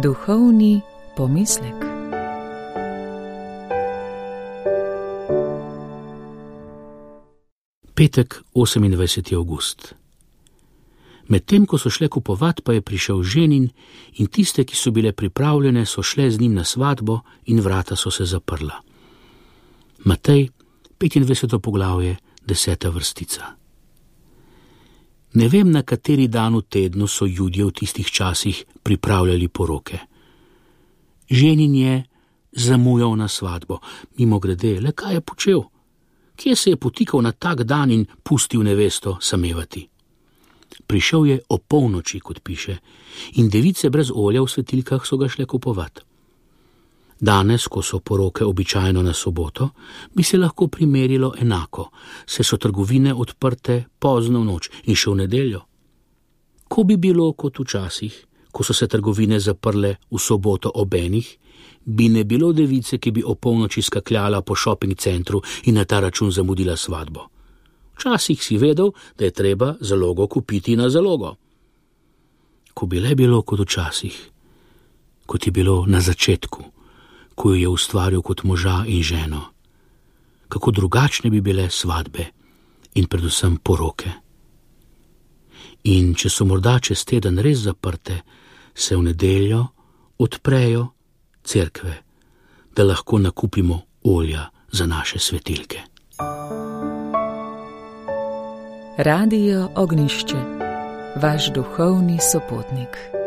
Duhovni pomislek. Petek, 28. avgust. Medtem, ko so šle kupovat, pa je prišel ženin in tiste, ki so bile pripravljene, so šle z njim na svatbo in vrata so se zaprla. Matej, 25. poglavje, 10. vrstica. Ne vem, na kateri dan v tednu so Judje v tistih časih pripravljali poroke. Ženin je zamujal na svatbo, mimogrede, le kaj je počel? Kje se je potikal na tak dan in pustil nevesto samevati? Prišel je o polnoči, kot piše, in device brez olja v svetilkah so ga šle kupovat. Danes, ko so poroke običajno na soboto, bi se lahko primerilo enako, saj so trgovine odprte pozno v noč in še v nedeljo. Ko bi bilo kot včasih, ko so se trgovine zaprle v soboto ob enih, bi ne bilo device, ki bi o polnoči skakljala po shopping centru in na ta račun zamudila svatbo. Včasih si vedel, da je treba zalogo kupiti na zalogo. Ko bi le bilo kot včasih, kot je bilo na začetku, ko jo je ustvaril kot moža in ženo, kako drugačne bi bile svatbe in predvsem poroke. In če so morda čez teden res zaprte, se v nedeljo odprejo cerkve, da lahko nakupimo olja za naše svetilke. Radio Ognjišče, vaš duhovni sopotnik.